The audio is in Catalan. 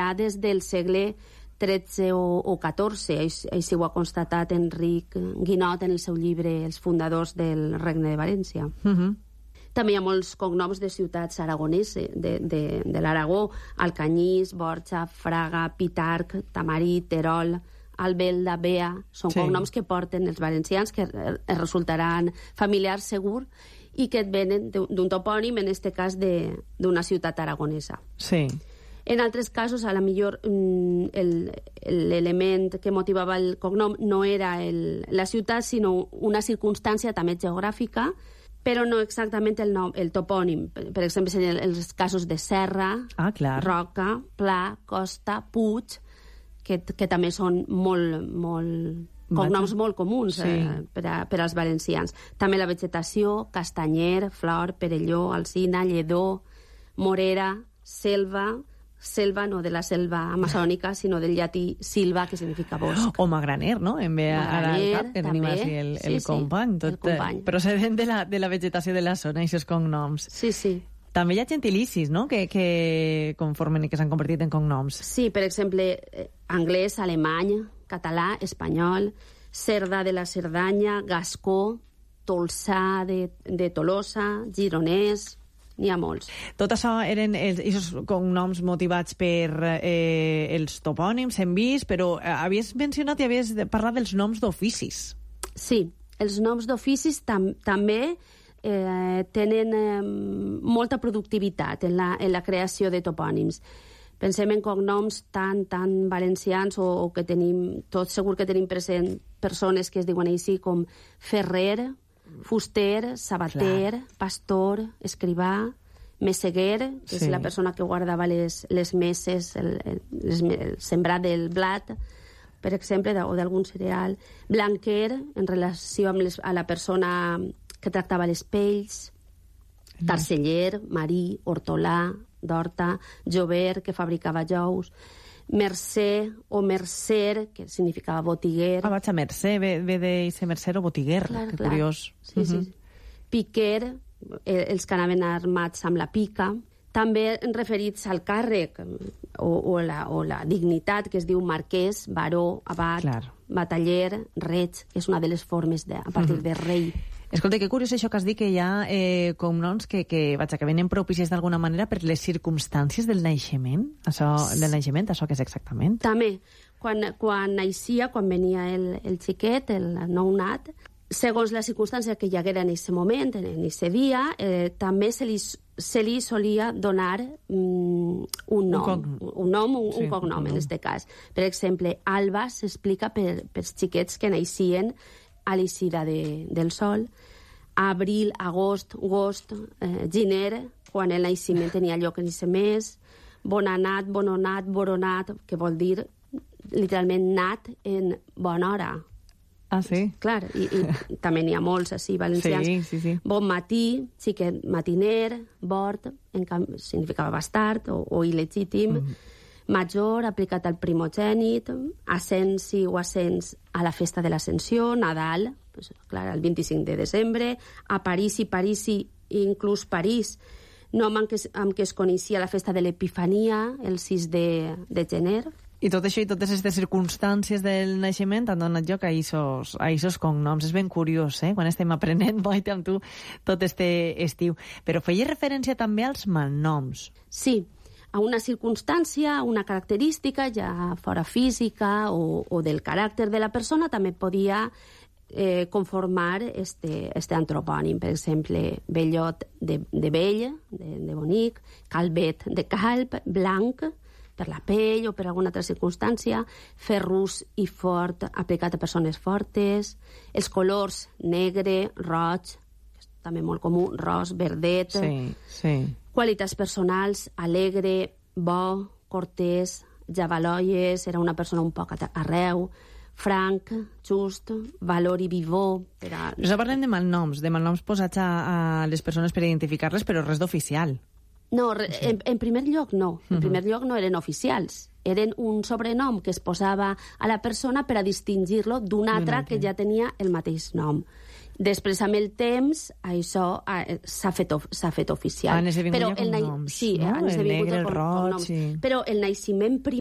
ja des del segle XIII o XIV. Així ho ha constatat Enric Guinot en el seu llibre Els fundadors del Regne de València. També hi ha molts cognoms de ciutats aragoneses, de l'Aragó: Alcanyís, Borja, Fraga, Pitarc, Tamarit, Terol, Albelda, Bea. Són cognoms que porten els valencians, que es resultaran familiars segur, i que et venen d'un topònim, en aquest cas d'una ciutat aragonesa. Sí. En altres casos, a la millor, l'element que motivava el cognom no era la ciutat, sinó una circumstància també geogràfica, però no exactament el topònim. Per exemple, serien els casos de Serra, Roca, Pla, Costa, Puig, que també són cognoms molt comuns per als valencians. També la vegetació: castanyer, flor, perelló, alzina, lledó, morera, selva no de la selva amazònica, sinó del llatí silva, que significa bosc. O magraner, no? En ve ara al cap, que tenim així el company. Tot procedent de la vegetació de la zona, aquests cognoms. Sí, sí. També hi ha gentilicis, no?, que conformen i que s'han convertit en cognoms. Sí, per exemple, anglès, alemany, català, espanyol, Cerda de la Cerdanya, gascó, tolçà de Tolosa, gironès. N'hi ha molts. Tot això eren aquests cognoms motivats per els topònims, hem vist, però havies mencionat i havies parlat dels noms d'oficis. Sí, els noms d'oficis també tenen molta productivitat en la creació de topònims. Pensem en cognoms tan valencians, o que tenim, tot segur que tenim present persones que es diuen així, com Ferrer, fuster, sabater, pastor, escrivà, messeguer, que és la persona que guardava les meses, el sembrat del blat, per exemple, o d'algun cereal, blanquer, en relació amb la persona que tractava les pells, tarceller, marí, hortolà, d'horta, jover, que fabricava jous, mercè o mercer, que significava botiguer. Vaig a mercè, ve de ser mercer o botiguer, que curiós. Sí, sí. Piquer, els que anaven armats amb la pica. També referits al càrrec o la dignitat, que es diu marquès, baró, abat, bataller, reig, que és una de les formes a partir de rei. Escolta, que curiós això que has dit, que hi ha cognoms que venen propicis d'alguna manera per les circumstàncies del naixement. Això què és exactament? També, quan naixia, quan venia el xiquet, el nounat, segons la circumstància que hi haguera en aquest moment, en aquest dia, també se li solia donar un cognom, en aquest cas. Per exemple, Alba s'explica pels xiquets que naixien a l'eixida del sol, abril, agost, gener, quan el naixement tenia lloc en aquest mes, bonanat, bononat, boronat, que vol dir literalment nat en bona hora. Ah, sí? Clar, i també n'hi ha molts així valencians. Sí. Bon matí, xiquet matiner, bord, significava bastard o il·legítim, major, aplicat al primogènit, ascensi o ascens a la festa de l'Ascensió, Nadal, clar, el 25 de desembre, a Parisi, inclús París, nom amb què es coneixia la festa de l'Epifania, el 6 de gener. I tot això i totes aquestes circumstàncies del naixement han donat lloc a aquests cognoms. És ben curiós, quan estem aprenent, Maite, amb tu, tot este estiu. Però feia referència també als malnoms. Sí, a una circumstància, a una característica, ja fora física o del caràcter de la persona, també podia conformar este antropònim. Per exemple, Bellot de vell, de bonic, Calvet de calb, blanc, per la pell o per alguna altra circumstància, ferrus i fort, aplicat a persones fortes, els colors negre, roig, també molt comú, ros, verdet, qualitats personals, alegre, bo, cortès, javaloies, era una persona un poc arreu, franc, just, valor i vivor. Però parlem de malnoms posats a les persones per identificar-les, però res d'oficial. No, en primer lloc no. En primer lloc no eren oficials. Eren un sobrenom que es posava a la persona per a distingir-lo d'un altre que ja tenia el mateix nom. Després, amb el temps, això s'ha fet oficial. Han esdevingut ja cognoms, sí, no? El negre, el roig... Però el naixement